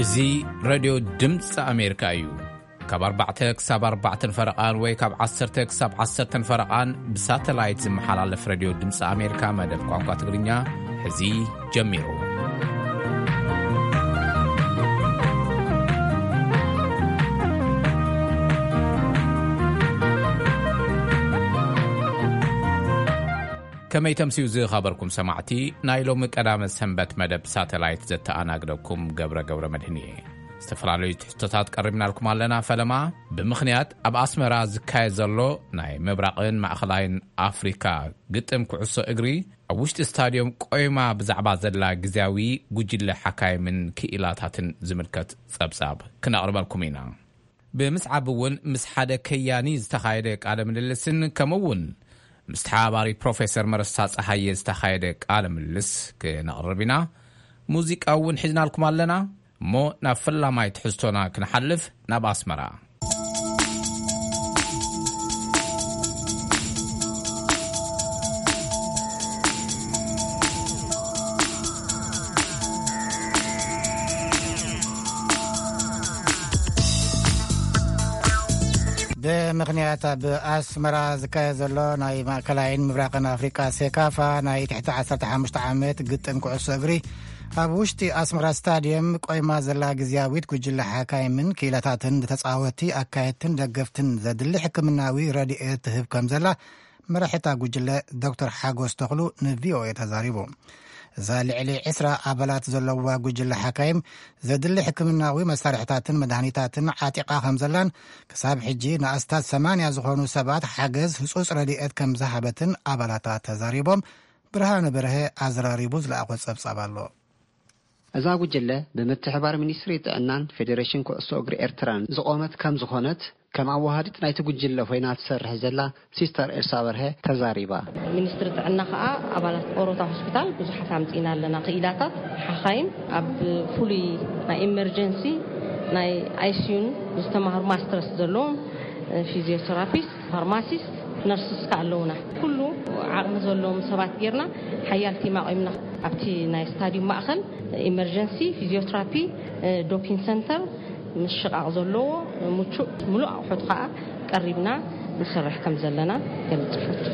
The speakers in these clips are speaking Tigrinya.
እዚ ሬድዮ ድምፂ ኣሜሪካ እዩ። ካብ ኣርባዕተ ክሳብ ኣርባዕተን ፈረቓን ወይ ካብ ዓሰርተ ክሳብ ዓሰርተን ፈረቓን ብሳተላይት ዝመሓላለፍ ሬድዮ ድምፂ ኣሜሪካ መደብ ቋንቋ ትግርኛ ሕዚ ጀሚሩ። ከመይ ተምስዩ ዝኸበርኩም ሰማዕቲ፣ ናይ ሎሚ ቀዳመ ሰንበት መደብ ሳተላይት ዘተኣናግደኩም ገብረ ገብረ መድህን እየ። ዝተፈላለዩ ትሕቶታት ቀሪብናልኩም ኣለና። ፈለማ፣ ብምኽንያት ኣብ ኣስመራ ዝካየድ ዘሎ ናይ ምብራቕን ማእኸላይን ኣፍሪካ ግጥም ኩዕሶ እግሪ፣ ኣብ ውሽጢ ስታድዮም ቆይማ ብዛዕባ ዘላ ግዜያዊ ጉጅለ ሓካይምን ክኢላታትን ዝምልከት ጸብጻብ ክነቕርበልኩም ኢና። ብምስዓብ እውን ምስ ሓደ ከያኒ ዝተኻየደ ቃለ ምልልስን ከምኡ እውን ምስ ተሓባባሪ ፕሮፌሰር መረሳ ጸሃየ ዝተኻየደ ቃለ ምልልስ ክነቕርብ ኢና። ሙዚቃ እውን ሒዝናልኩም ኣለና። እሞ ናብ ፈላማይ ትሕዝቶና ክንሓልፍ ናብ ኣስመራ። ብምኽንያት ኣብ ኣስመራ ዝካየድ ዘሎ ናይ ማእከላይን ምብራቕን ኣፍሪቃ ሴካፋ ናይ ትሕቲ ዓሰርተ ሓሙሽተ ዓመት ግጥም ኩዕሶ እግሪ ኣብ ውሽጢ ኣስመራ ስታድየም ቆይማ ዘላ ግዝያዊት ጉጅለ ሓካይምን ክኢላታትን ንተጻወቲ ኣካየድትን ደገፍትን ዘድሊ ሕክምናዊ ረድኤት ትህብ ከም ዘላ መራሒታ ጉጅለ ዶክተር ሓጎስ ተኽሉ ንቪኦኤ ተዛሪቡ። እዛ ልዕሊ ዕስራ ኣባላት ዘለዋ ጉጅለ ሓካይም ዘድሊ ሕክምናዊ መሳርሕታትን መድሃኒታትን ዓጢቓ ከም ዘላን ክሳብ ሕጂ ንኣስታት ሰማንያ ዝኾኑ ሰባት ሓገዝ ህጹጽ ረድኤት ከም ዝሃበትን ኣባላታ ተዛሪቦም። ብርሃነ በርሀ ኣዘራሪቡ ዝለኣኾ ጸብጻብ ኣሎ። እዛ ጉጅለ ብምትሕባር ሚኒስትሪ ጥዕናን ፌዴሬሽን ኩዕሶ እግሪ ኤርትራን ዝቖመት ከም ዝኾነት ከም ኣወሃዲት ናይቲ ጉጅለ ኮይና ትሰርሕ ዘላ ሲስተር ኤልሳ በርሀ ተዛሪባ። ሚኒስትሪ ጥዕና ከኣ ኣባላት ኦሮታ ሆስፒታል ብዙሓት ኣምጺእና ኣለና። ክኢላታት ሓኻይም ኣብ ፍሉይ ናይ ኢመርጀንሲ ናይ ኣይሲዩን ዝተማህሩ ማስተርስ ዘለዎም ፊዚዮቴራፒስት፣ ፋርማሲስት፣ ነርስስ ከኣ ኣለውና። ኩሉ ዓቕሚ ዘለዎም ሰባት ጌርና ሓያል ቲም ኣቑምና ኣብቲ ናይ ስታዲዩም ማእኸል ኢመርጀንሲ፣ ፊዚዮትራፒ፣ ዶፒን ሰንተር፣ ምሽቓቕ ዘለዎ ምቹእ ምሉእ ኣቑሑት ከኣ ቀሪብና ንሰርሕ ከም ዘለና ገልጽ ይፈቱ።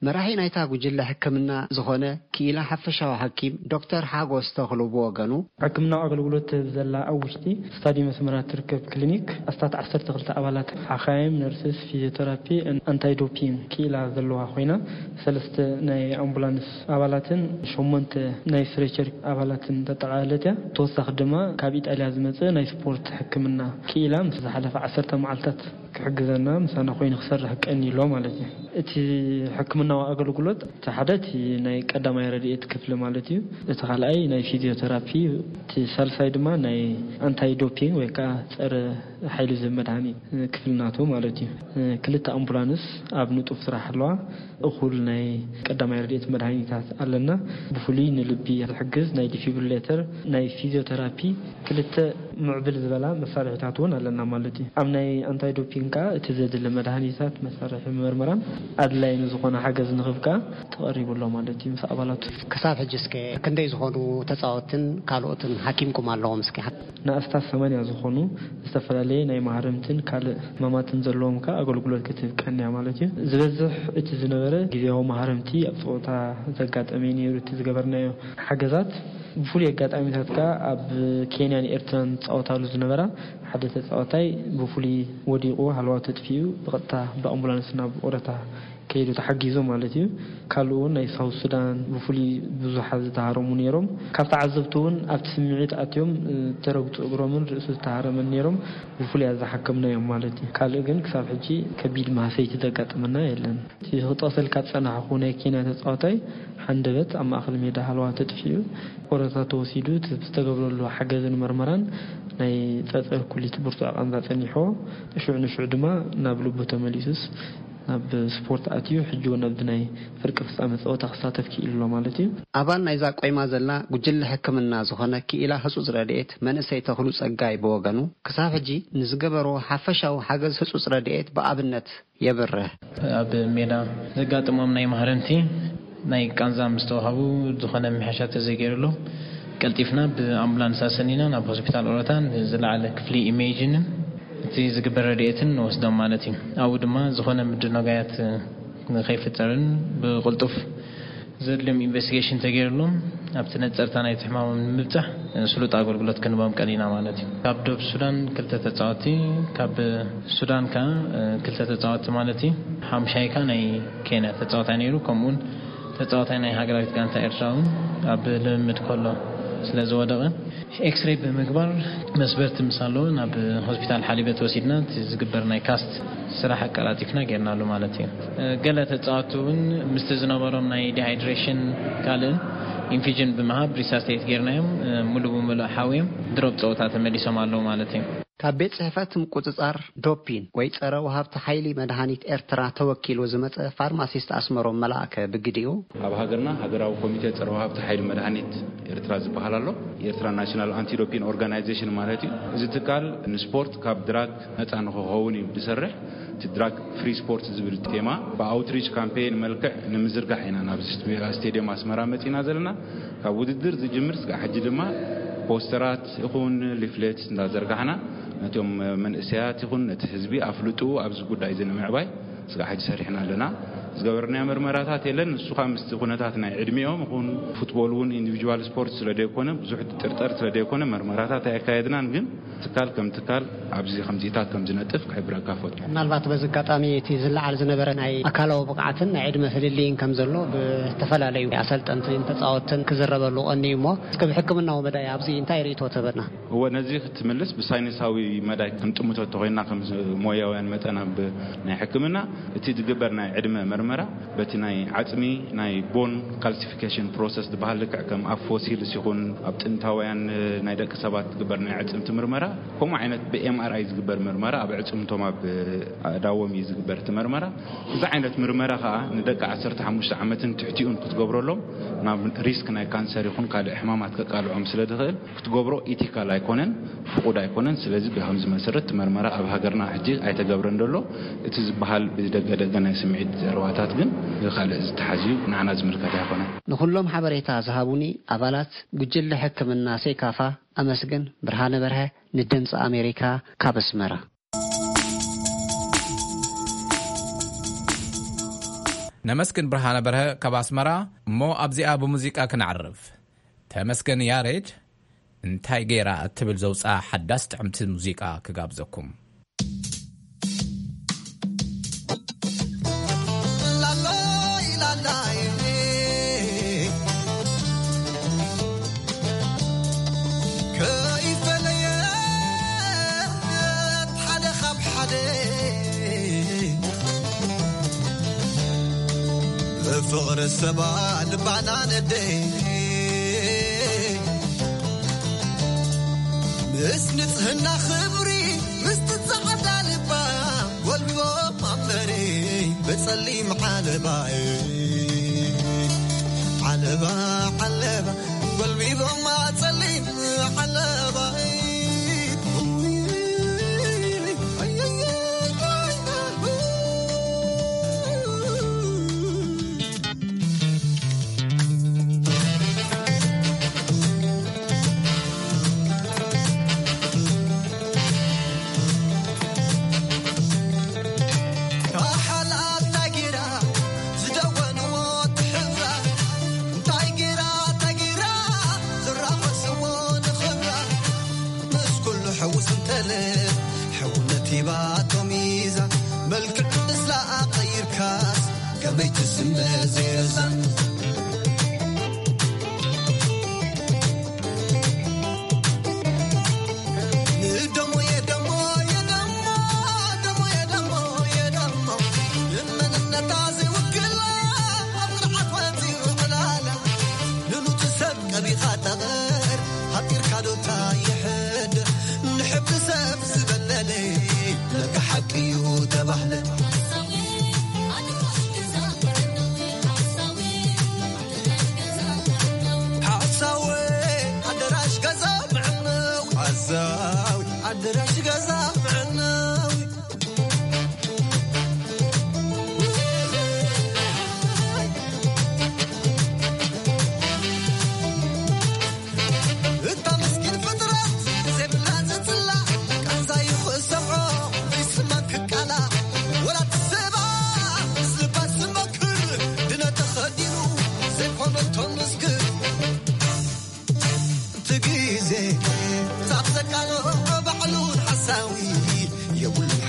መራሒ ናይታ ጉጅለ ሕክምና ዝኾነ ክኢላ ሓፈሻዊ ሓኪም ዶክተር ሓጎስ ተኽሉ ብወገኑ፣ ሕክምናዊ ኣገልግሎት ትህብ ዘላ ኣብ ውሽጢ ስታዲየም ኣስመራ ትርከብ ክሊኒክ ኣስታት ዓሰርተ ክልተ ኣባላት ሓኻይም፣ ነርስስ፣ ፊዚዮቴራፒ፣ ኣንታይ ዶፒንግ ክኢላ ዘለዋ ኮይና፣ ሰለስተ ናይ ኣምቡላንስ ኣባላትን ሸሞንተ ናይ ስትሬቸር ኣባላትን ተጠቓለለት እያ። ተወሳኺ ድማ ካብ ኢጣልያ ዝመጸ ናይ ስፖርት ሕክምና ክኢላ ምስ ዝሓለፈ ዓሰርተ መዓልታት ክሕግዘና ምሳና ኮይኑ ክሰርሕ ቀኒ ኣሎ ማለት እዩ። እቲ ሕክምናዊ ኣገልግሎት እቲ ሓደ እቲ ናይ ቀዳማይ ረድኤት ክፍሊ ማለት እዩ። እቲ ካልኣይ ናይ ፊዚዮቴራፒ፣ እቲ ሳልሳይ ድማ ናይ ኣንታይ ዶፒንግ ወይ ከዓ ጸረ ሓይሊ ዝህብ መድሃኒት ክፍሊ ናቱ ማለት እዩ። ክልተ ኣምቡላንስ ኣብ ንጡፍ ስራሕ ኣለዋ። እኹል ናይ ቀዳማይ ረድኤት መድሃኒታት ኣለና። ብፍሉይ ንልቢ ዝሕግዝ ናይ ዲፊብሪሌተር፣ ናይ ፊዚዮቴራፒ፣ ክልተ ምዕብል ዝበላ መሳርሒታት እውን ኣለና ማለት እዩ። ኣብ ናይ ኣንታይ ዶፒንግ ከዓ እቲ ዘድሊ መድሃኒታት፣ መሳርሒ መርመራን ኣድላይ ንዝኾነ ሓገዝ ንኽብ ከዓ ተቐሪቡ ኣሎ ማለት እዩ ምስ ኣባላቱ። ክሳብ ሕጂ እስከ ክንደይ ዝኾኑ ተጻወትን ካልኦትን ሓኪምኩም ኣለዎም እስኪ? ንኣስታት ሰማንያ ዝኾኑ ዝተፈላለየ ናይ ማህረምትን ካልእ ሕማማትን ዘለዎም ከኣ ኣገልግሎት ክትህብ ቀንያ ማለት እዩ። ዝበዝሕ እቲ ዝነበረ ግዜያዊ ማህረምቲ ኣብ ጸወታ ዘጋጠመ እዩ ነይሩ። እቲ ዝገበርናዮ ሓገዛት ብፍሉይ ኣጋጣሚታት ከኣ ኣብ ኬንያን ኤርትራን ዝጻወታሉ ዝነበራ ሓደ ተጻዋታይ ብፍሉይ ወዲቑ ሃለዋቱ ተጥፊኡ ብቐጥታ ብኣምቡላንስ ናብ ኦረታ ከይዱ ተሓጊዙ ማለት እዩ። ካልኡ እውን ናይ ሳውት ሱዳን ብፍሉይ ብዙሓት ዝተሃረሙ ነይሮም። ካብ ተዓዘብቲ እውን ኣብቲ ስምዒት ኣትዮም፣ እ፣ ተረግጹ እግሮምን ርእሱ ዝተሃረመን ነይሮም ብፍሉይ ኣዝሓከምናዮም ማለት እዩ። ካልእ ግን ክሳብ ሕጂ ከቢድ ማህሰይቲ ዘጋጠመና የለን። እቲ ክጠቕሰልካ ዝጸናሕኩ ናይ ኬንያ ተጻዋታይ ሓንደበት ኣብ ማእከል ሜዳ ሃለዋ ተጥፊኡ ቆረታ ተወሲዱ፣ እቲ ዝተገብረሉ ሓገዝን መርመራን ናይ ጸጸር ኩሊት ብርቱዕ ቃንዛ ጸኒሕዎ። ሽዑ ንሽዑ ድማ ናብ ልቡ ተመሊሱስ ናብ ስፖርት ኣትዩ፣ ሕጂ እውን ኣብዚ ናይ ፍርቂ ፍጻመ ጸወታ ክሳተፍ ክኢሉ ኣሎ ማለት እዩ። ኣባል ናይዛ ቆይማ ዘላ ጉጅለ ሕክምና ዝኾነ ክኢላ ህጹጽ ረድኤት መንእሰይ ተኽሉ ጸጋይ ብወገኑ፣ ክሳብ ሕጂ ንዝገበርዎ ሓፈሻዊ ሓገዝ ህጹጽ ረድኤት ብኣብነት የብርህ። ኣብ ሜዳ ዘጋጥሞም ናይ ማህረምቲ ናይ ቃንዛ ምስ ተዋሃቡ ዝኾነ ምሕሻ ተዘይገይሩሎም ቀልጢፍና ብኣምቡላንስ ኣሰኒና ናብ ሆስፒታል ኦሮታን ዝለዓለ ክፍሊ ኢሜጅንን እቲ ዝግበር ረድኤትን ንወስዶም ማለት እዩ። ኣብኡ ድማ ዝኾነ ምድንጋያት ንኸይፍጠርን ብቕልጡፍ ዘድልዮም ኢንቨስቲጌሽን ተገይርሎም ኣብቲ ነጸርታ ናይቲ ሕማሞም ንምብጻሕ ስሉጥ ኣገልግሎት ክንቦም ቀኒና ማለት እዩ። ካብ ዶብ ሱዳን ክልተ ተጻወቲ፣ ካብ ሱዳን ከኣ ክልተ ተጻወቲ ማለት እዩ። ሓምሻይ ከኣ ናይ ኬንያ ተጻዋታይ ነይሩ። ከምኡውን ተጻዋታይ ናይ ሃገራዊት ጋንታ ኤርትራ እውን ኣብ ልምምድ ከሎ ስለ ዝወደቐ ኤክስሬይ ብምግባር መስበርቲ ምስ ኣለዎ ናብ ሆስፒታል ሓሊበት ወሲድና እቲ ዝግበር ናይ ካስት ስራሕ ኣቀላጢፍና ጌርናሉ ማለት እዩ። ገለ ተጻወቱ እውን ምስቲ ዝነበሮም ናይ ዲሃይድሬሽን ካልእን ኢንፊጅን ብምሃብ ሪሳስቴት ጌርናዮም፣ ሙሉ ብሙሉ ሓውዮም ድሮብ ጸወታ ተመሊሶም ኣለዉ ማለት እዩ። ካብ ቤት ጽሕፈት ምቁጽጻር ዶፒን ወይ ጸረ ወሃብቲ ሓይሊ መድሃኒት ኤርትራ ተወኪሉ ዝመጸ ፋርማሲስት ኣስመሮም መላእከ ብግዲኡ፣ ኣብ ሃገርና ሃገራዊ ኮሚቴ ጸረ ወሃብቲ ሓይሊ መድሃኒት ኤርትራ ዝበሃል ኣሎ። ኤርትራ ናሽናል ኣንቲ ዶፒን ኦርጋናይዜሽን ማለት እዩ። እዚ ትካል ንስፖርት ካብ ድራግ ነጻ ንክኸውን እዩ ዝሰርሕ። እቲ ድራግ ፍሪ ስፖርት ዝብል ቴማ ብኣውትሪች ካምፔን መልክዕ ንምዝርጋሕ ኢና ናብ ስቴድየም ኣስመራ መጺና ዘለና። ካብ ውድድር ዝጅምር ስጋዕ ሕጂ ድማ ፖስተራት ይኹን ሊፍሌት እንዳዘርጋሕና ነቶም መንእሰያት ይኹን ነቲ ህዝቢ ኣፍልጡ ኣብዚ ጉዳይ እዚ ንምዕባይ ስጋዕ ሕጂ ሰሪሕና ኣለና። ዝገበርናዮ መርመራታት የለን። ንሱ ከዓ ምስቲ ኩነታት ናይ ዕድሚኦም ይኹን ፉትቦል እውን ኢንዲቪጁዋል ስፖርት ስለ ዘይኮነ ብዙሕ ጥርጠር ስለ ዘይኮነ መርመራታት ኣየካየድናን። ግን ትካል ከም ትካል ኣብዚ ከምዚታት ከም ዝነጥፍ ክሕብረካ ፈቱ። ምናልባት በዚ ኣጋጣሚ እቲ ዝለዓል ዝነበረ ናይ ኣካላዊ ብቕዓትን ናይ ዕድመ ፍልልይን ከም ዘሎ ብዝተፈላለዩ ኣሰልጠንትን ተጻወትን ክዝረበሉ ቀንዩ እሞ እስከ ብሕክምናዊ መዳይ ኣብዚ እንታይ ርእይቶ ትህበና? እወ፣ ነዚ ክትምልስ ብሳይንሳዊ መዳይ ክንጥምቶ እንተኾይና ከም ሞያውያን መጠን ኣብ ናይ ሕክምና እቲ ዝግበር ናይ ዕድመ መርመራ በቲ ናይ ዓጽሚ ናይ ቦን ካልሲፊኬሽን ፕሮሰስ ዝበሃል ልክዕ ከም ኣብ ፎሲልስ ይኹን ኣብ ጥንታውያን ናይ ደቂ ሰባት ዝግበር ናይ ኣዕጽምቲ ምርመራ ከምኡ ዓይነት ብኤምኣርኣይ ዝግበር ምርመራ ኣብ ኣዕጽምቶም ኣብ ኣእዳዎም እዩ ዝግበር እቲ መርመራ። እዚ ዓይነት ምርመራ ከዓ ንደቂ ዓሰርተ ሓሙሽተ ዓመትን ትሕቲኡን ክትገብረሎም ናብ ሪስክ ናይ ካንሰር ይኹን ካልእ ሕማማት ከቃልዖም ስለ ዝኽእል ክትገብሮ ኢቲካል ኣይኮነን፣ ፍቑድ ኣይኮነን። ስለዚ ብከምዚ መሰረት እቲ መርመራ ኣብ ሃገርና ሕጂ ኣይተገብረን ዘሎ። እቲ ዝበሃል ብደገ ደገ ናይ ስምዒት ዘረባታት ግን ካልእ ዝተሓዝዩ ንዓና ዝምልከት ኣይኮነን። ንኹሎም ሓበሬታ ዝሃቡኒ ኣባላት ጉጅለ ሕክምና ሴካፋ ኣመስግን። ብርሃነ በርሀ ንድምፂ ኣሜሪካ ካብ ኣስመራ። ነመስግን ብርሃነ በርሀ ካብ ኣስመራ። እሞ ኣብዚኣ ብሙዚቃ ክነዕርፍ። ተመስገን ያሬድ እንታይ ገይራ እትብል ዘውፅኣ ሓዳስ ጥዕምቲ ሙዚቃ ክጋብዘኩም። ላላይ ላላይ ከይፈለየት ሓደ ካብ ሓደ ብፍቕሪ ሰባ ልባና ነደይ ምስ ንጽህና ክብሪ ምስቲ ጻዕዳ ልባ ጎልቢቦም ኣንበሪ ብጸሊም ዓለባይ ዓለባ ዓለባ ጎልቢቦም ኣጸሊም ዓለባይ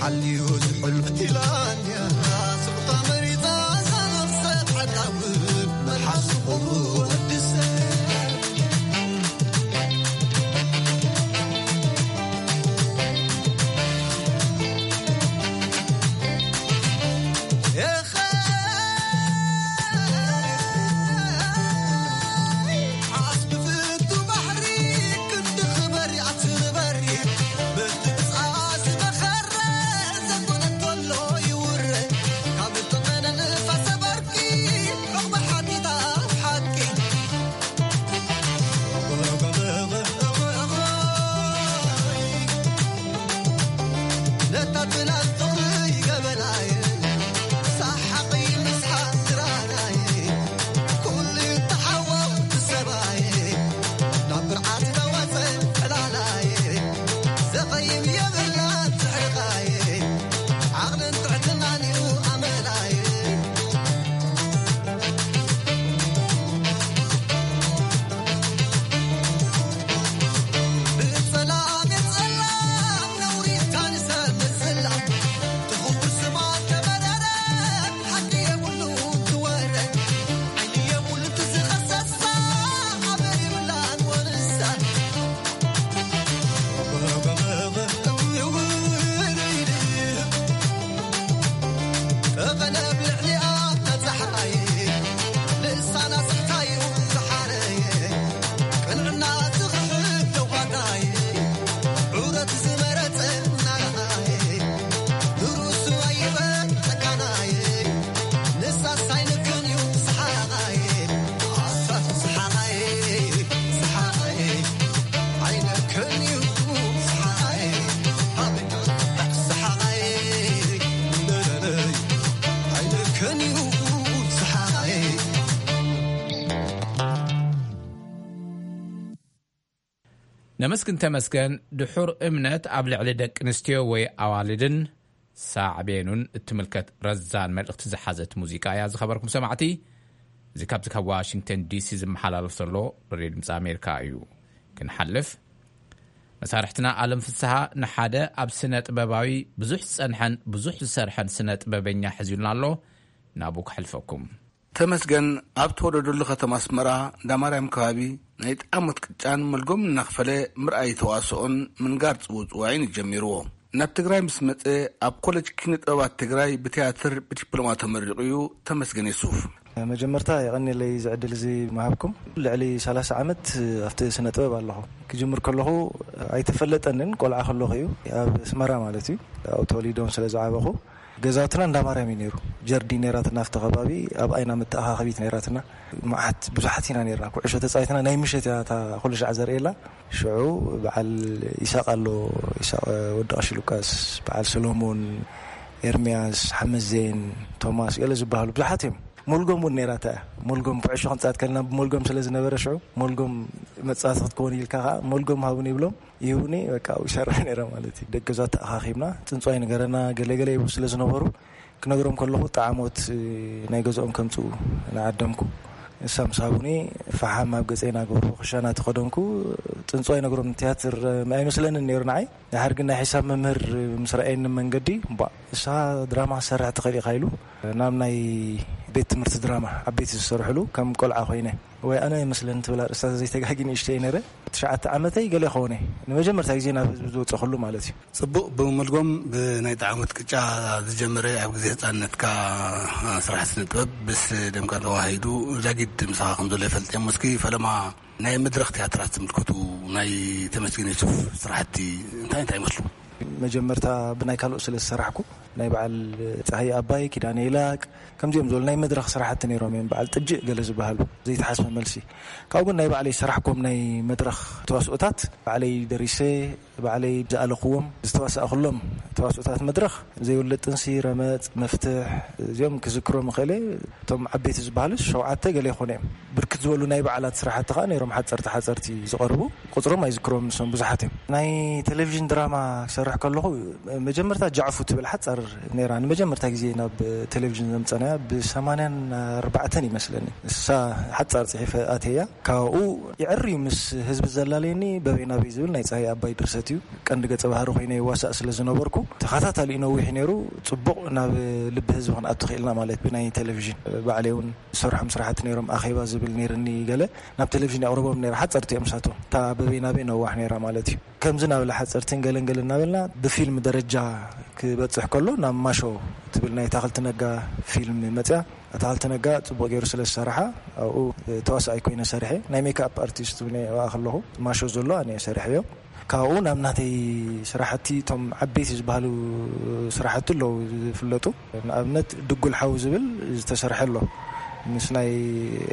ዓልዩ ዝሕልፍ ኢላንያ ስቕታ መሪጻ እዛ ነፍሰ ሓዳዊ መልሓስ ኩሉ ወዲ ሰብ። ነመስግን ተመስገን ድሑር እምነት ኣብ ልዕሊ ደቂ ኣንስትዮ ወይ ኣዋልድን ሳዕቤኑን እትምልከት ረዛን መልእኽቲ ዝሓዘት ሙዚቃ እያ። ዝኸበርኩም ሰማዕቲ፣ እዚ ካብዚ ካብ ዋሽንግተን ዲሲ ዝመሓላለፍ ዘሎ ሬድዮ ድምፂ ኣሜሪካ እዩ። ክንሓልፍ፣ መሳርሕትና ኣለም ፍስሃ ንሓደ ኣብ ስነ ጥበባዊ ብዙሕ ዝጸንሐን ብዙሕ ዝሰርሐን ስነ ጥበበኛ ሕዚሉና ኣሎ። ናብኡ ክሕልፈኩም። ተመስገን ኣብ ተወለደሉ ከተማ ኣስመራ እንዳማርያም ከባቢ ናይ ጣሞት ቅጫን መልጎም እናኽፈለ ምርኣይ ተዋስኦን ምንጋር ጽውጽዋይን ጀሚርዎ። ናብ ትግራይ ምስ መጸ ኣብ ኮሌጅ ኪነ ጥበባት ትግራይ ብትያትር ብዲፕሎማ ተመሪቑ እዩ። ተመስገን የሱፍ። መጀመርታ የቐንየለይ እዚ ዕድል እዚ ምሃብኩም። ልዕሊ ሰላሳ ዓመት ኣብቲ ስነ ጥበብ ኣለኹ። ክጅምር ከለኹ ኣይተፈለጠንን፣ ቆልዓ ከለኹ እዩ፣ ኣብ ኣስመራ ማለት እዩ፣ ኣብኡ ተወሊዶም ስለ ዝዓበኹ። ገዛውትና እንዳ ማርያም እዩ ነይሩ። ጀርዲን ነይራትና ኣብቲ ከባቢ፣ ኣብ ኣይና መተኣኻኸቢት ነይራትና። መዓት ብዙሓት ኢና ነይርና። ኩዕሾ ተጻዊትና ናይ ምሸት እያ እታ ኩሉ ሻዕ ዘርእየላ። ሽዑ በዓል ይሳቕ ኣሎ፣ ይሳቕ ወዲ ቀሺ ሉቃስ፣ በዓል ሰሎሞን፣ ኤርምያስ፣ ሓመዜን፣ ቶማስ፣ ገለ ዝበሃሉ ብዙሓት እዮም። ሞልጎም እውን ነይራታ እያ። ሞልጎም ኩዕሾ ክንጻወት ከለና ብሞልጎም ስለ ዝነበረ ሽዑ፣ ሞልጎም መጻወቲ ክትከውን ኢልካ ከኣ ሞልጎም ሃቡኒ ይብሎም። ይህቡኒ፣ በቃ ኣብኡ ይሰርሕ ነይረ ማለት እዩ። ደቂ ገዛ ተኣኻኺብና፣ ጽንጽዋይ ንገረና፣ ገለ ገለ ይብሉ ስለ ዝነበሩ፣ ክነግሮም ከለኹ ጣዕሞት ናይ ገዝኦም ከምጽኡ ንዓደምኩ። ንሳ ምስ ሃቡኒ፣ ፈሓም ኣብ ገጸይ እናገበርኩ ክሻና ተኸደንኩ። ጽንጽዋይ ነግሮም፣ ትያትር ኣይመስለንን ነይሩ ንዓይ። ድሓር ግን ናይ ሒሳብ መምህር ምስ ረኣየኒ መንገዲ፣ "እምቧእ፣ ንስኻ ድራማ ክትሰርሕ ትኽእል ኢኻ" ኢሉ ናብ ናይ ቤት ትምህርቲ ድራማ፣ ዓበይቲ ዝሰርሕሉ፣ ከም ቆልዓ ኮይነ፣ ወይ ኣነ ይመስለኒ ትብል ኣርእስታ ዘይተጋጊ ንእሽተይ ነይረ። ትሽዓተ ዓመተይ ገለ ይኸውን እየ። ንመጀመርታ ግዜ ናብ ህዝቢ ዝወፀኹሉ ማለት እዩ። ጽቡቕ፣ ብመልጎም ብናይ ጣዕሞት ቅጫ ዝጀመረ ኣብ ግዜ ህጻንነትካ ስራሕ ስነ ጥበብ ምስ ደምካ ተዋሂዱ ዛጊድ ምሳኻ ከም ዘሎ ይፈልጥ እየ። እስኪ ፈለማ ናይ መድረኽ ትያትራት ዝምልከቱ ናይ ተመስገን የሱፍ ስራሕቲ እንታይ እንታይ ይመስሉ? መጀመርታ ብናይ ካልኦት ስለ ዝሰራሕኩ፣ ናይ በዓል ጸሃየ ኣባይ፣ ኪዳነ ይላቅ፣ ከምዚኦም ዝበሉ ናይ መድረኽ ስራሕቲ ነይሮም እዮም፣ በዓል ጥጅእ ገለ ዝበሃሉ፣ ዘይተሓስበ መልሲ። ካብኡ ግን ናይ ባዕለይ ዝሰራሕኩም ናይ መድረኽ ተዋስኦታት፣ ባዕለይ ደሪሰ፣ ባዕለይ ዝኣለኽዎም፣ ዝተዋሳእኩሎም ተዋስኦታት መድረኽ፣ ዘይውለድ ጥንሲ፣ ረመጽ፣ መፍትሕ፣ እዚኦም ክዝክሮም እኽእለ። እቶም ዓበይቲ ዝበሃሉ ሸውዓተ ገለ ይኾኑ እዮም። ብርክት ዝበሉ ናይ በዓላት ስራሕቲ ኸኣ ነይሮም፣ ሓጸርቲ ሓጸርቲ ዝቐርቡ፣ ቁጽሮም ኣይዝክሮም፣ ንሶም ብዙሓት እዮም። ናይ ቴሌቪዥን ድራማ ክሰርሕ ከለኹ፣ መጀመርታ ጃዕፉ ትብል ሓጻር ነይራ። ንመጀመርታ ግዜ ናብ ቴሌቪዥን ዘምጸናያ ብ84 ይመስለኒ። እሳ ሓጻር ጽሒፈ ኣተያ። ካብኡ ይዕር እዩ ምስ ህዝቢ ዘላለየኒ፣ በበይ ናበይ ዝብል ናይ ጸሃይ ኣባይ ድርሰት እዩ። ቀንዲ ገጸ ባህሪ ኮይነ ይዋሳእ ስለ ዝነበርኩ፣ ተኸታታሊ ነዊሕ ነይሩ። ጽቡቕ ናብ ልቢ ህዝቢ ክንኣቱ ክኢልና ማለት ብናይ ቴሌቪዥን። ባዕለይ እውን ዝሰርሖም ስራሕቲ ነይሮም፣ ኣኼባ ዝብል ነይርኒ ገለ። ናብ ቴሌቪዥን የቕርቦም ነይረ። ሓጸርቲ እዮም ሳቶም። እታ በበይ ናበይ ነዋሕ ነይራ ማለት እዩ። ከምዚ እናበለ ሓጸርትን ገለን ገለን እናበልና ብፊልም ደረጃ ክበጽሕ ከሎ ናብ ማሾ ትብል ናይ ታኸልቲ ነጋ ፊልም መጽያ። ታኸልቲ ነጋ ጽቡቕ ገይሩ ስለ ዝሰርሓ ኣብኡ ተዋሳኣይ ኮይነ ሰርሐ። ናይ ሜክኣፕ ኣርቲስት እውን እየ ኣብኣ ከለኹ። ማሾ ዘሎ ኣነ እየ ሰርሐዮ። ካብኡ ናብ ናተይ ስራሕቲ፣ እቶም ዓበይቲ ዝበሃሉ ስራሕቲ ኣለዉ ዝፍለጡ። ንኣብነት ድጉል ሓው ዝብል ዝተሰርሐ ኣሎ፣ ምስ ናይ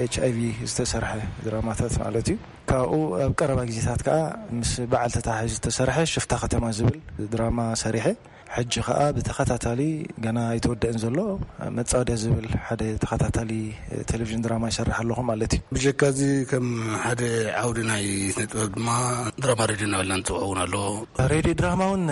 ኤች ኣይ ቪ ዝተሰርሐ ድራማታት ማለት እዩ። ካብኡ ኣብ ቀረባ ግዜታት ከኣ ምስ በዓል ተታሓሒዙ ዝተሰርሐ ሽፍታ ከተማ ዝብል ድራማ ሰሪሐ። ሕጂ ከኣ ብተኸታታሊ፣ ገና ኣይተወደእን ዘሎ፣ መጻወድያ ዝብል ሓደ ተኸታታሊ ቴሌቪዥን ድራማ ይሰርሕ ኣለኹ ማለት እዩ። ብጀካ እዚ፣ ከም ሓደ ዓውዲ ናይ ስነ ጥበብ ድማ ድራማ ሬድዮ እናበልና ንፅውዖ እውን ኣሎ። ሬድዮ ድራማ እውን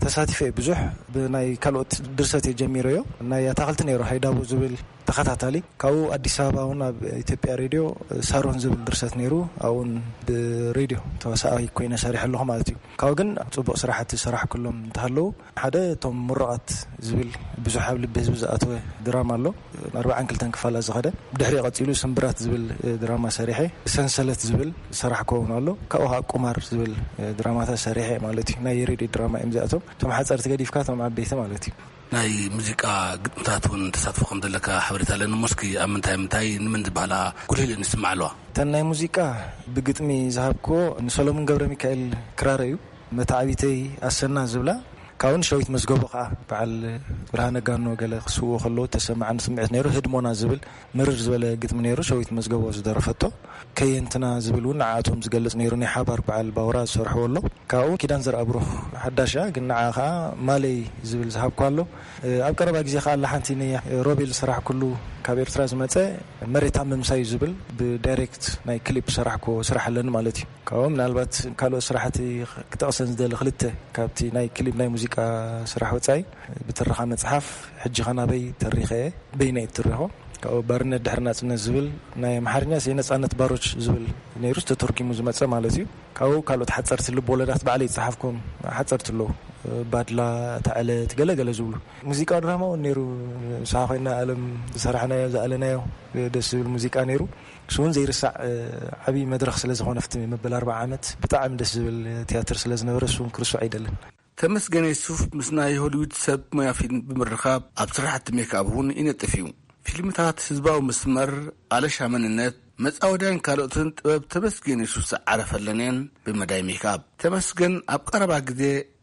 ተሳቲፈ እየ ብዙሕ። ብናይ ካልኦት ድርሰት እየ ጀሚረዮ። ናይ ኣታኽልቲ ነይሩ፣ ሃይዳቦ ዝብል ተኸታታሊ። ካብኡ ኣዲስ ኣበባ እውን ኣብ ኢትዮጵያ ሬድዮ ሳሮን ዝብል ድርሰት ነይሩ። ኣብኡን ብሬድዮ ተዋሳኣይ ኮይነ ሰሪሐ ኣለኹ ማለት እዩ። ካብኡ ግን ጽቡቕ ስራሕቲ ዝሰራሕኩሎም እንተሃለዉ፣ ሓደ እቶም ምሩቓት ዝብል ብዙሕ ኣብ ልቢ ህዝቢ ዝኣተወ ድራማ ኣሎ። ኣርባዓን ክልተን ክፋላት ዝኸደ። ብድሕሪኡ ቀጺሉ ስምብራት ዝብል ድራማ ሰሪሐ። ሰንሰለት ዝብል ዝሰራሕኩዎ እውን ኣሎ። ካብኡ ከዓ ቁማር ዝብል ድራማታት ሰሪሐ ማለት እዩ። ናይ ሬድዮ ድራማ እዮም እዚኣቶም። እቶም ሓጸርቲ ገዲፍካ እቶም ዓበይቲ ማለት እዩ። ናይ ሙዚቃ ግጥምታት እውን ተሳትፎ ከም ዘለካ ሓበሬታ ኣለኒ። እሞ እስኪ ኣብ ምንታይ ምንታይ ንመን ዝበሃላ ጉልህ ኢለን ይስማዓ ኣለዋ? እተን ናይ ሙዚቃ ብግጥሚ ዝሃብክዎ ንሰሎሙን ገብረ ሚካኤል ክራር እዩ። መታዕቢተይ ኣሰና ዝብላ፣ ካብኡን ሸዊት መዝገቦ ከዓ በዓል ብርሃነ ጋኖ ገለ ክስውኡ ከለዉ ተሰማዓኒ ስምዒት ነይሩ። ህድሞና ዝብል ምርር ዝበለ ግጥሚ ነይሩ፣ ሸዊት መዝገቦ ዝደረፈቶ። ከየንትና ዝብል እውን ንዓኣቶም ዝገልጽ ነይሩ፣ ናይ ሓባር በዓል ባውራ ዝሰርሕዎ ኣሎ። ካብኡ ኪዳን ዘርኣብሩኽ ሓዳሽ እያ፣ ግን ንዓ ከዓ ማለይ ዝብል ዝሃብኳ ኣሎ። ኣብ ቀረባ ግዜ ከዓ ኣላ ሓንቲ ንሮቤል ዝሰራሕኩሉ ካብ ኤርትራ ዝመጸ መሬት ኣብ ምምሳዩ ዝብል ብዳይሬክት ናይ ክሊፕ ዝሰራሕኩዎ ስራሕ ኣለኒ ማለት እዩ። ካብኡ ምናልባት ካልኦት ስራሕቲ ክጠቕሰን ዝደሊ ክልተ ካብቲ ናይ ክሊፕ ናይ ሙዚቃ ስራሕ ወጻኢ ብትረኻ መጽሓፍ ሕጂ ኸናበይ ተሪኸ እየ፣ በይነይ እትርኾ። ካብኡ ባርነት ድሕሪ ናጽነት ዝብል ናይ ኣምሓርኛ ሲ ነጻነት ባሮች ዝብል ነይሩ ተተርጉሙ ዝመጸ ማለት እዩ። ካብኡ ካልኦት ሓጸርቲ ልብ ወለዳት ባዕለይ ዝጸሓፍኩም ሓጸርቲ ኣለዉ። ባድላ፣ እታ ዕለት፣ ገለ ገለ ዝብሉ። ሙዚቃ ድራማ እውን ነይሩ። ንስኻ ኮይና ኣለም ዝሰራሕናዮ ዝኣለናዮ ደስ ዝብል ሙዚቃ ነይሩ። እሱ እውን ዘይርሳዕ ዓብዪ መድረኽ ስለ ዝኾነ፣ ኣብቲ መበል ኣርባዓ ዓመት ብጣዕሚ ደስ ዝብል ትያትር ስለ ዝነበረ፣ እሱ እውን ክርስዖ ኣይደልን። ተመስገን የሱፍ ምስ ናይ ሆሊውድ ሰብ ሞያ ፊልም ብምርኻብ ኣብ ስራሕቲ ሜክኣፕ እውን ይነጥፍ እዩ። ፊልምታት ህዝባዊ መስመር፣ ኣለሻ መንነት፣ መጻወድያን ካልኦትን ጥበብ ተመስገን የሱፍ ዝዓረፈለን እየን። ብመዳይ ሜክኣፕ ተመስገን ኣብ ቀረባ ግዜ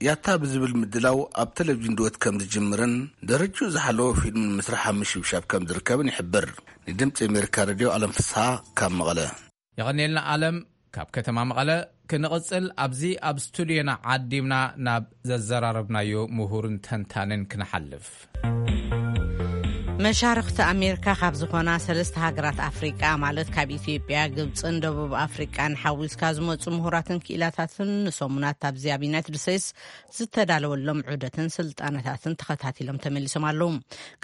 ያታ ብዝብል ምድላው ኣብ ቴሌቪዥን ድወት ከም ዝጅምርን ደረጅኡ ዝሓለወ ፊልም ንምስራሕ ኣብ ምሽብሻብ ከም ዝርከብን ይሕብር። ንድምፂ ኣሜሪካ ሬድዮ ኣለም ፍስሃ ካብ መቐለ። የቐንየልና ኣለም። ካብ ከተማ መቐለ ክንቕጽል፣ ኣብዚ ኣብ ስቱድዮና ዓዲምና ናብ ዘዘራረብናዮ ምሁርን ተንታንን ክንሓልፍ። መሻርኽቲ ኣሜሪካ ካብ ዝኾና ሰለስተ ሃገራት ኣፍሪቃ፣ ማለት ካብ ኢትዮጵያ፣ ግብጽን ደቡብ ኣፍሪቃን ሓዊስካ ዝመጹ ምሁራትን ክኢላታትን ንሰሙናት ኣብዚ ኣብ ዩናይትድ ስቴትስ ዝተዳለወሎም ዑደትን ስልጣነታትን ተኸታቲሎም ተመሊሶም ኣለዉ።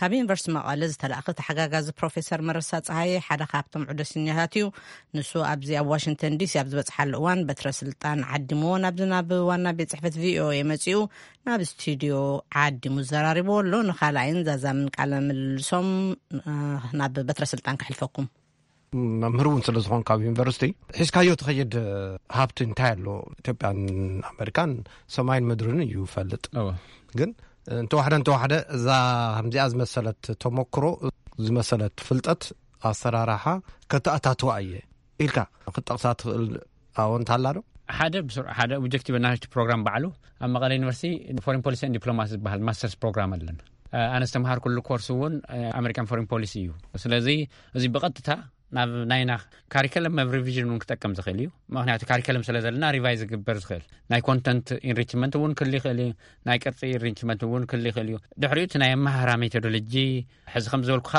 ካብ ዩኒቨርሲቲ መቐለ ዝተላእኸ ተሓጋጋዚ ፕሮፌሰር መረሳ ጸሃየ ሓደ ካብቶም ዑደተኛታት እዩ። ንሱ ኣብዚ ኣብ ዋሽንግተን ዲሲ ኣብ ዝበጽሓሉ እዋን በትረ ስልጣን ዓዲምዎ ናብዚ ናብ ዋና ቤት ጽሕፈት ቪኦኤ መጺኡ ናብ ስቱድዮ ዓዲሙ ዘራሪብዎ ኣሎ። ንኻልኣይን ዛዛምን ቃለ ምልልሶም ናብ በትረ ስልጣን ከሕልፈኩም። መምህር እውን ስለ ዝኾንካ ኣብ ዩኒቨርሲቲ ሒዝካዮ ትኸይድ ሃብቲ እንታይ ኣሎ? ኢትዮጵያን ኣሜሪካን ሰማይን ምድርን እዩ ፈልጥ። ግን እንተዋሕደ እንተዋሕደ እዛ ከምዚኣ ዝመሰለት ተመክሮ፣ ዝመሰለት ፍልጠት፣ ኣሰራርሓ ከተኣታትዋ እየ ኢልካ ክትጠቕሳ ትኽእል ኣዎንታ ኣላ ዶ? ሓደ ብስሩ-፣ ሓደ ኦብጀክቲቭ ናሽቲ ፕሮግራም ባዕሉ ኣብ መቐለ ዩኒቨርሲቲ ፎሬን ፖሊሲ ን ዲፕሎማሲ ዝበሃል ማስተርስ ፕሮግራም ኣለና። ኣነ ዝተምሃርኩሉ ኮርስ እውን ኣሜሪካን ፎሬን ፖሊሲ እዩ። ስለዚ እዚ ብቐጥታ ናብ ናይና ካሪከለም ኣብ ሪቪዥን እውን ክጠቅም ዝኽእል እዩ። ምኽንያቱ ካሪከለም ስለ ዘለና ሪቫይዝ ዝግበር ዝኽእል ናይ ኮንተንት ኢንሪችመንት እውን ክህሉ ይኽእል እዩ። ናይ ቅርፂ ኢንሪችመንት እውን ክህሉ ይኽእል እዩ። ድሕሪኡ እቲ ናይ ኣመሃህራ ሜቶዶሎጂ ሕዚ ከም ዝበልኩኻ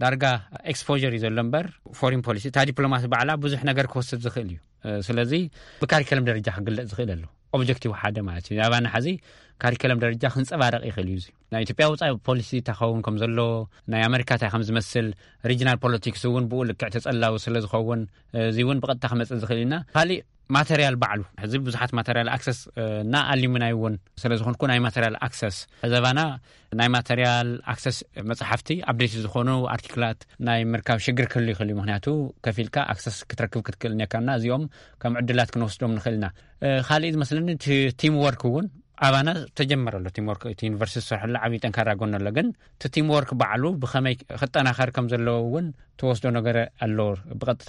ዳርጋ ኤክስፖር እዩ ዘሎ እምበር ፎሪን ፖሊሲ እታ ዲፕሎማሲ ባዕላ ብዙሕ ነገር ክወስድ ዝኽእል እዩ። ስለዚ ብካሪከለም ደረጃ ክግለፅ ዝኽእል ኣሎ። ኦብጀክቲቭ ሓደ ማለት እዩ። ኣባና ሕዚ ካሪከለም ደረጃ ክንጸባረቕ ይኽእል እዩ። እዚ ናይ ኢትዮጵያ ውጻኢ ፖሊሲ እንታይ ክኸውን ከም ዘሎ፣ ናይ ኣመሪካ እንታይ ከም ዝመስል፣ ሪጅናል ፖለቲክስ እውን ብኡ ልክዕ ተጸላዊ ስለ ዝኸውን፣ እዚ እውን ብቐጥታ ክመጽእ ዝኽእል ኢና። ካሊእ ማተርያል ባዕሉ፣ ሕዚ ብዙሓት ማተርያል ኣክሰስ እና ኣሉሚናይ እውን ስለ ዝኾንኩ፣ ናይ ማተርያል ኣክሰስ ዘባና ናይ ማተርያል ኣክሰስ፣ መጽሓፍቲ፣ ኣፕዴት ዝኾኑ ኣርቲክላት ናይ ምርካብ ሽግር ክህሉ ይኽእል እዩ። ምክንያቱ ከፊልካ ኣክሰስ ክትረክብ ክትክእል እኒካና፣ እዚኦም ከም ዕድላት ክንወስዶም ንኽእል ኢና። ካልእ ዝመስለኒ እቲ ቲም ወርክ እውን ኣባና ተጀመረ ኣሎ። ቲም ወርክ እቲ ዩኒቨርሲቲ ዝሰርሐሉ ዓብዪ ጠንካራ ጎን ኣሎ። ግን እቲ ቲም ወርክ ባዕሉ ብኸመይ ክጠናኸር ከም ዘለዎ እውን ተወስዶ ነገር ኣሎ። ብቐጥታ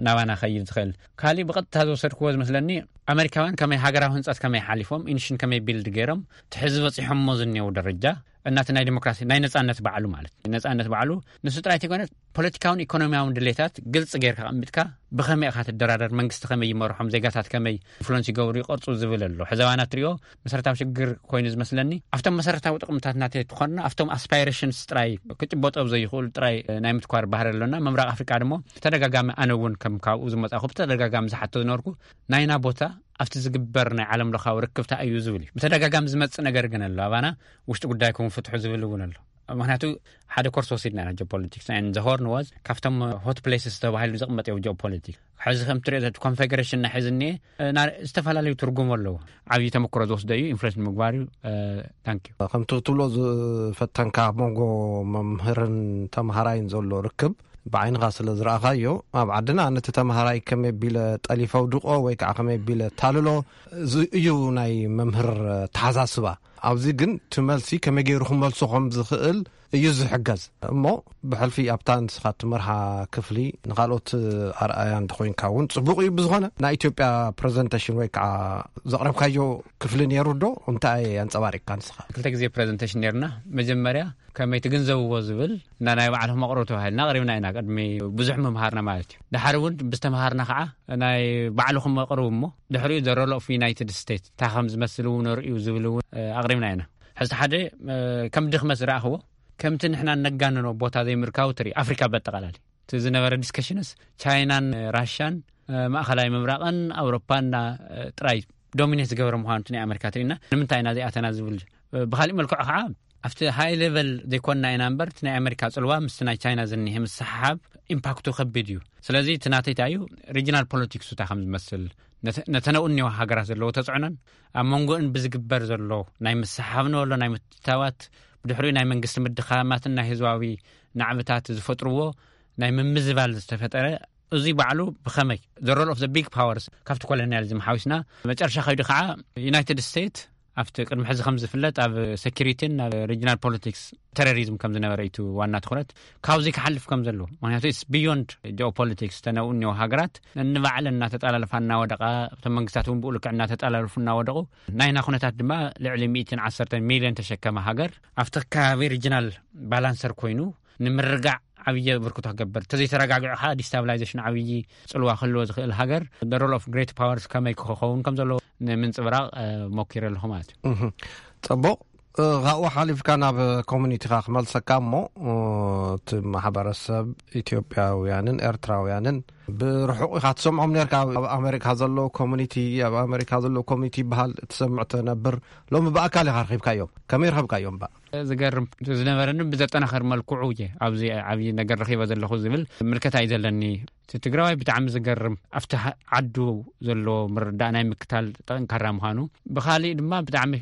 ናባና ከይድ ዝኽእል። ካሊእ ብቐጥታ ዝወሰድክዎ ዝመስለኒ፣ ኣመሪካውያን ከመይ ሃገራዊ ህንፀት ከመይ ሓሊፎም፣ ኢንሽን ከመይ ቢልድ ገይሮም ትሕዚ በፂሖሞ ዝኒው ደረጃ እናቲ ናይ ዲሞክራሲ ናይ ነፃነት ባዕሉ ማለት ነፃነት ባዕሉ ንሱ ጥራይ ተይኮነ፣ ፖለቲካውን ኢኮኖሚያውን ድሌታት ግልፂ ጌርካ ኣቐሚጥካ፣ ብኸመይ ኢኻ ትደራደር፣ መንግስቲ ከመይ ይመርሖም፣ ዜጋታት ከመይ ኢንፍሉንስ ይገብሩ ይቐርፁ ዝብል ኣሎ። ሕዘባና ትሪኦ መሰረታዊ ሽግር ኮይኑ ዝመስለኒ፣ ኣብቶም መሰረታዊ ጥቕምታት ናተይ ትኾንና ኣብቶም ኣስፓይሬሽንስ ጥራይ ክጭበጦ ዘይኽእሉ ጥራይ ናይ ምትኳር ባህሪ ኣሎና። ምብራቕ ኣፍሪቃ ድማ ብተደጋጋሚ፣ ኣነ እውን ከም ካብኡ ዝመጻኹ ብተደጋጋሚ ዝሓቶ ዝነበርኩ፣ ናይና ቦታ ኣብቲ ዝግበር ናይ ዓለም ለኻዊ ርክብታ እዩ ዝብል እዩ። ብተደጋጋሚ ዝመጽእ ነገር ግን ኣሎ። ኣባና ውሽጢ ጉዳይኩም ፍትሑ ዝብል እውን ኣሎ። ምክንያቱ ሓደ ኮርስ ወሲድና ኢና ጂኦፖለቲክስ፣ and the Horn was ካብቶም ሆት ፕሌስስ ተባሂሉ ዝቕመጥ እዩ ጂኦፖለቲክስ። ሕዚ ከም ትሪኦ ዘት ኮንፌዴሬሽን ናይ ሕዚ እኒኤ፣ እ፣ ና-፣ ዝተፈላለዩ ትርጉም ኣለዎ። ዓብዪ ተመክሮ ዝወስዶ እዩ፣ ኢንፍሉዌንስ ንምግባር እዩ። ታንክ ዩ። ከምቲ ክትብሎ ዝፈተንካ ኣብ መንጎ መምህርን ተምሃራይን ዘሎ ርክብ ብዓይንኻ ስለ ዝረኣኻዮ፣ ኣብ ዓድና ነቲ ተምሃራይ ከመይ ቢለ ጠሊፈ ውድቆ ወይ ከዓ ከመይ ቢለ ታልሎ፣ እዚ እዩ ናይ መምህር ተሓሳስባ። ኣብዚ ግን እቲ መልሲ ከመይ ገይሩ ክመልሶ ከም ዝኽእል እዩ ዝሕገዝ። እሞ ብሕልፊ ኣብታ ንስኻ እትመርሓ ክፍሊ ንኻልኦት ኣርኣያ እንተኾይንካ እውን ጽቡቕ እዩ። ብዝኾነ ናይ ኢትዮጵያ ፕሬዘንቴሽን ወይ ከዓ ዘቕረብካዮ ክፍሊ ነይሩ ዶ? እንታይ ኣንጸባሪቕካ ንስኻ? ክልተ ግዜ ፕሬዘንቴሽን ነይርና። መጀመርያ ከመይ ትግንዘብዎ ዝብል እና ናይ ባዕልኹም ኣቕርቡ ተባሂልና ኣቕሪብና ኢና። ቅድሚ ብዙሕ ምምሃርና ማለት እዩ። ድሓር እውን ብዝተምሃርና ከዓ ናይ ባዕልኹም ኣቕርቡ እሞ ድሕሪኡ ዘ ሮል ኦፍ ዩናይትድ ስቴትስ እንታይ ከም ዝመስል እውን ርእዩ ዝብል እውን፣ እ፣ ኣቕሪብና ኢና። ሕዚ ሓደ፣ እ፣ ከም ድኽመት ዝረኣኽዎ፣ ከምቲ ንሕና ነጋንኖ ቦታ ዘይምርካቡ ትርኢ፣ ኣፍሪካ በጠቓላሊ። እቲ ዝነበረ ዲስከሽንስ ቻይናን ራሻን፣ እ፣ ማእኸላይ ምብራቕን ኣውሮፓን እና፣ እ፣ ጥራይ ዶሚኔት ዝገበረ ምዃኑ እቲ ናይ ኣሜሪካ ትርኢና። ንምንታይ ኢና ዘይኣተና ዝብል፣ እ፣ ብኻሊእ መልክዑ ከዓ ኣብቲ ሃይ ሌቨል ዘይኮንና ኢና እምበር፣ እቲ ናይ ኣሜሪካ ጽልዋ ምስቲ ናይ ቻይና ዝኒሄ ምስሓብ ኢምፓክቱ ከቢድ እዩ። ስለዚ እቲ ናተይ እንታይ እዩ፣ ሪጅናል ፖለቲክሱ እንታይ ከም ዝመስል፣ ነተ-፣ ነተን ኣብኡ እኒዋ ሃገራት ዘለዎ ተጽዕኖን ኣብ መንጎእን ብዝግበር ዘሎ ናይ ምስሓብ ንበሎ ናይ ምትታዋት፣ ብድሕሪኡ ናይ መንግስቲ ምድኻማትን ናይ ህዝባዊ ናዕብታት ዝፈጥርዎ ናይ ምምዝባል ዝተፈጠረ፣ እዚ ባዕሉ ብኸመይ the role of the big powers ካብቲ ኮሎኒያሊዝም ሓዊስና፣ መጨረሻ ከይዱ ከዓ ዩናይትድ ስቴትስ ኣብቲ ቅድሚ ሕዚ ከም ዝፍለጥ ኣብ ሴኪሪቲን ኣብ ሪጅናል ፖለቲክስ፣ ቴሮሪዝም ከም ዝነበረ እዩ እቲ ዋና ትኹረት። ካብዚ ክሓልፍ ከም ዘለዎ፣ ምክንያቱ it's beyond ጂኦፖለቲክስ፣ ተነኡ እኒኦ ሃገራት ንባዕለን እናተጠላለፋ እናወደቓ፣ እቶም መንግስታት እውን ብኡ ልክዕ እናተጠላለፉ እናወደቑ፣ ናይና ኩነታት ድማ ልዕሊ ሚእትን ዓሰርተን ሚልዮን ተሸከመ ሃገር ኣብቲ ከባቢ ሪጅናል ባላንሰር ኮይኑ ንምርጋዕ ዓብዪ ብርክቶ ክገብር፣ ተዘይተረጋግዑ ከዓ ዲስታብላይዜሽን ዓብዪ ጽልዋ ክህልዎ ዝኽእል ሃገር፣ the role of great powers ከመይ ክኸውን ከም ዘለዎ ንምንጽብራቕ፣ እ፣ ሞኪረ ኣለኹ ማለት እዩ። እህ፣ ጽቡቕ። እ፣ ካብኡ ሓሊፍካ ናብ ኮሚኒቲኻ ክመልሰካ እሞ፣ እ፣ እቲ ማሕበረሰብ ኢትዮጵያውያንን ኤርትራውያንን ብርሑቕ ኢኻ ትሰምዖም ነርካ። ኣብ ኣሜሪካ ዘለዉ ኮሚኒቲ፣ ኣብ ኣሜሪካ ዘለዉ ኮሚኒቲ ይበሃል ትሰምዕ ትነብር። ሎሚ ብኣካል ኢኻ ረኺብካዮም። ከመይ ረኸብካዮም እባ? ዝገርም ዝነበረኒ ብዘጠናኸር መልክዑ እየ ኣብዚ ዓብዪ ነገር ረኺበ ዘለኹ ዝብል ምልከታ እዩ ዘለኒ። እቲ ትግራዋይ ብጣዕሚ ዝገርም፣ ኣብቲ ሃ-፣ ዓዱ ዘሎ ምርዳእ ናይ ምክታል ጠንካራ ምዃኑ፣ ብኻሊእ ድማ ብጣዕሚ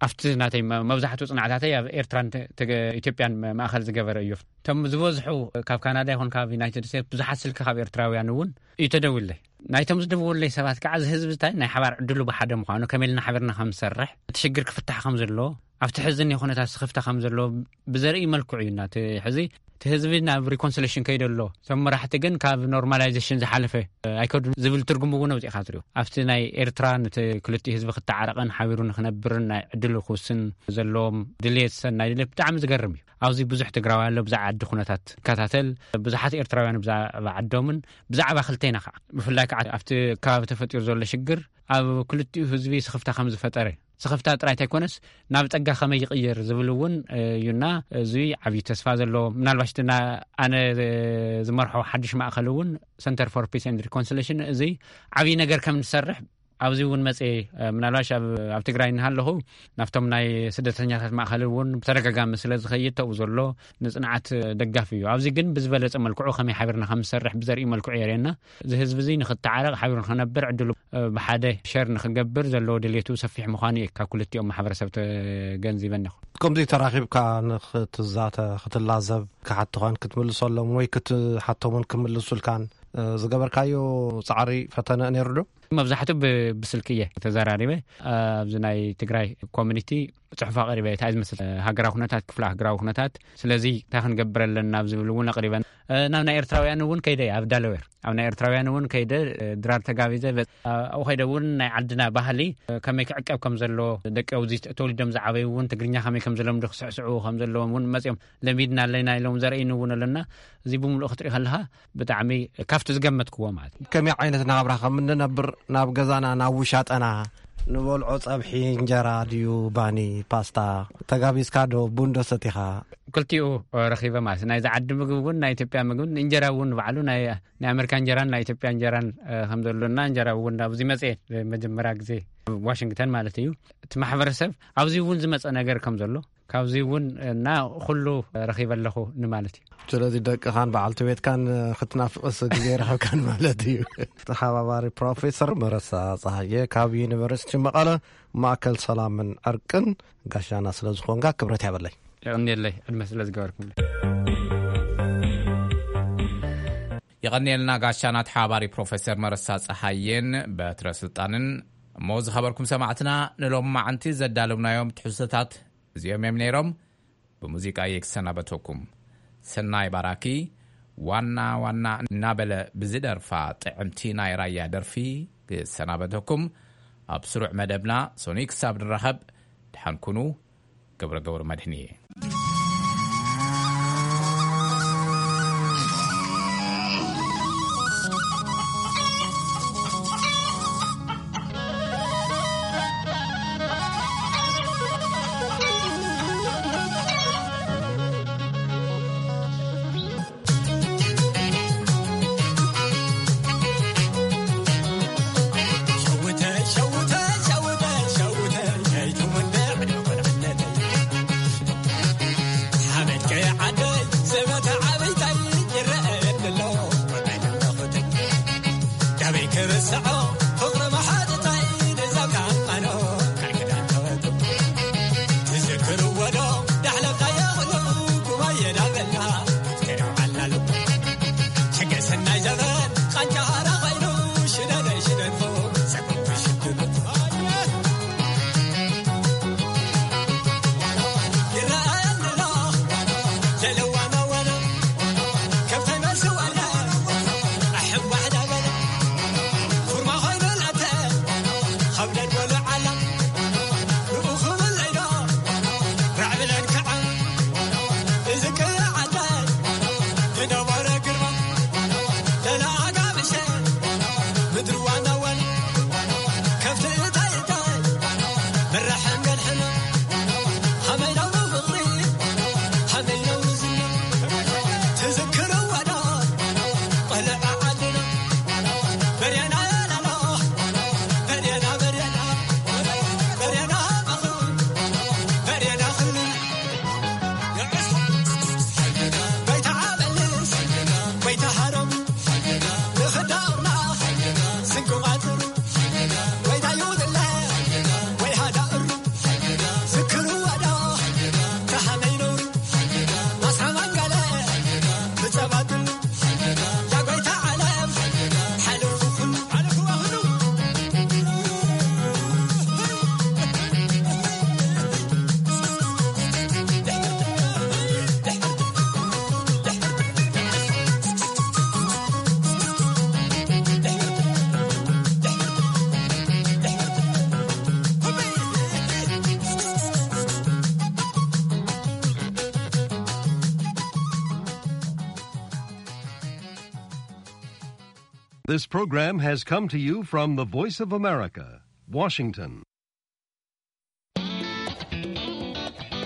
ኣብቲ ናተይ መ-፣ መብዛሕትኡ ጽናዕታተይ ኣብ ኤርትራን ተ-፣ ተገ-፣ ኢትዮጵያን መ-፣ ማእኸል ዝገበረ እዩ። እቶም ዝበዝሑ ካብ ካናዳ ይኹን ካብ ዩናይትድ ስቴትስ ብዙሓት ስልኪ ካብ ኤርትራውያን እውን እዩ ተደዊለይ። ናይቶም ዝደወለይ ሰባት ከዓ እዚ ህዝቢ እንታይ ናይ ሓባር ዕድሉ ብሓደ ምዃኑ፣ ከመይ ኢልና ሓቢርና ከም ንሰርሕ፣ እቲ ሽግር ክፍታሕ ከም ዘለዎ፣ ኣብቲ ሕዝን ኩነታት ስኽፍታ ከም ዘለዎ ብዘርኢ መልክዑ እዩ። እና እቲ ሕዚ እቲ ህዝቢ ናብ ሪኮንሲሌሽን ከይደ ኣሎ፣ እቶም መራሕቲ ግን ካብ ኖርማላይዜሽን ዝሓለፈ ኣይከዱን ዝብል ትርጉም እውን ኣውፂእካ ትሪኦ። ኣብቲ ናይ ኤርትራ ነቲ ክልቲኡ ህዝቢ ክተዓረቕን ሓቢሩ ንክነብርን ናይ ዕድሉ ክውስን ዘለዎም ድልየት፣ ሰናይ ድልየት ብጣዕሚ ዝገርም እዩ። ኣብዚ ብዙሕ ትግራዋይ ኣሎ፣ ብዛዕባ ዓዲ ኩነታት ይከታተል፣ ብዙሓት ኤርትራውያን ብዛዕባ ዓዶምን ብዛዕባ ክልቴና ከዓ፣ ብፍላይ ከዓ ኣብቲ ከባቢ ተፈጢሩ ዘሎ ሽግር ኣብ ክልቲኡ ህዝቢ ስኽፍታ ከም ዝፈጠረ፣ ስኽፍታ ጥራይ እንተይኮነስ ናብ ጸጋ ከመይ ይቕየር ዝብል እውን እዩና፣ እዚ ዓብዪ ተስፋ ዘለዎ። ምናልባሽ እቲ ና-፣ ኣነ ዝመርሖ ሓድሽ ማእከል እውን፣ ሰንተር ፎር ፒስ ኤንድ ሪኮንሲሌሽን፣ እዚ ዓብዪ ነገር ከም ንሰርሕ ኣብዚ እውን መጽ ምናልባሽ ኣብ ትግራይ እናሃለኹ ናብቶም ናይ ስደተኛታት ማእኸል እውን ብተደጋጋሚ ስለ ዝኸይድ ተብኡ ዘሎ ንፅንዓት ደጋፊ እዩ። ኣብዚ ግን ብዝበለፀ መልክዑ ከመይ ሓቢርና ከም ዝሰርሕ ብዘርኢ መልክዑ የርእየና። እዚ ህዝቢ እዚ ንክተዓረቕ ሓቢሩ ንክነብር ዕድሉ ብሓደ ሸር ንክገብር ዘለዎ ድሌቱ ሰፊሕ ምዃኑ እዩ ካብ ክልቲኦም ማሕበረሰብ ተገንዚበ ኣለኹ። ከምዚ ተራኺብካ ንክትዛተ ክትላዘብ ክሓትኾን ክትምልሰሎም ወይ ክትሓቶምን ክምልሱልካን ዝገበርካዮ ፃዕሪ ፈተነ ነይሩ ዶ? መብዛሕትኡ ብ- ብስልኪ እየ ተዘራሪበ። ኣብዚ ናይ ትግራይ ኮሚኒቲ ፅሑፍ ኣቕሪበ። እንታይ ዝመስል ሃገራዊ ኩነታት፣ ክፍለ ሃገራዊ ኩነታት፣ ስለዚ እንታይ ክንገብር ኣለና ኣብ ዝብል እውን ኣቕሪበን። ናብ ናይ ኤርትራውያን እውን ከይደ እየ፣ ኣብ ዳለዌር ኣብ ናይ ኤርትራውያን እውን ከይደ ድራር ተጋቢዘ። ኣብኡ ከይደ እውን ናይ ዓድና ባህሊ ከመይ ክዕቀብ ከም ዘሎ፣ ደቂ ተወሊዶም ዝዓበዩ እውን ትግርኛ ከመይ ከም ዝለምዱ፣ ክስዕስዑ ከም ዘለዎም እውን መፅኦም ለሚድና ኣለና ኢሎም ዘርእይኒ እውን ኣለና። እዚ ብምሉእ ክትርኢ ከለካ ብጣዕሚ ካብቲ ዝገመትክዎ ማለት እዩ። ከመይ ዓይነት ናብራ ከም እንነብር ናብ ገዛና ናብ ውሻጠና ንበልዖ ጸብሒ እንጀራ ድዩ ባኒ ፓስታ ተጋቢዝካ ዶ ቡን ዶ ሰቲኻ? ክልቲኡ ረኺበ ማለት እዩ። ናይዚ ዓዲ ምግቢ እውን ናይ ኢትዮጵያ ምግብን እንጀራ እውን ባዕሉ ናይ ናይ ኣሜሪካ እንጀራን ናይ ኢትዮጵያ እንጀራን ከም ዘሎና እንጀራ እውን ኣብዚ መጽኤ መጀመርያ ግዜ ዋሽንግተን ማለት እዩ። እቲ ማሕበረሰብ ኣብዚ እውን ዝመጸ ነገር ከም ዘሎ ካብዚ እውን እና ኩሉ ረኺበ ኣለኹ ንማለት እዩ። ስለዚ ደቅኻን በዓልቲ ቤትካን ክትናፍቕስ ግዜ ረኸብካን ማለት እዩ። ተሓባባሪ ፕሮፌሰር መረሳ ፀሃየ ካብ ዩኒቨርሲቲ መቐለ ማእከል ሰላምን ዕርቅን ጋሻና ስለ ዝኾንካ ክብረት ያበለይ። የቐንየለይ ዕድመ ስለ ዝገበርኩም። የቐንየልና ጋሻና ተሓባባሪ ፕሮፌሰር መረሳ ፀሃየን በትረ ስልጣንን። እሞ ዝኸበርኩም ሰማዕትና ንሎም መዓንቲ ዘዳለውናዮም ትሕዝቶታት እዚኦም እዮም ነይሮም። ብሙዚቃ እየ ክሰናበተኩም። ሰናይ ባራኪ ዋና ዋና እናበለ ብዝደርፋ ጥዕምቲ ናይ ራያ ደርፊ ክሰናበተኩም። ኣብ ስሩዕ መደብና ሶኒ ክሳብ ንራኸብ ድሓን ኩኑ። ገብረ ገብረ መድህን እየ። This program has come to you from the Voice of America, Washington.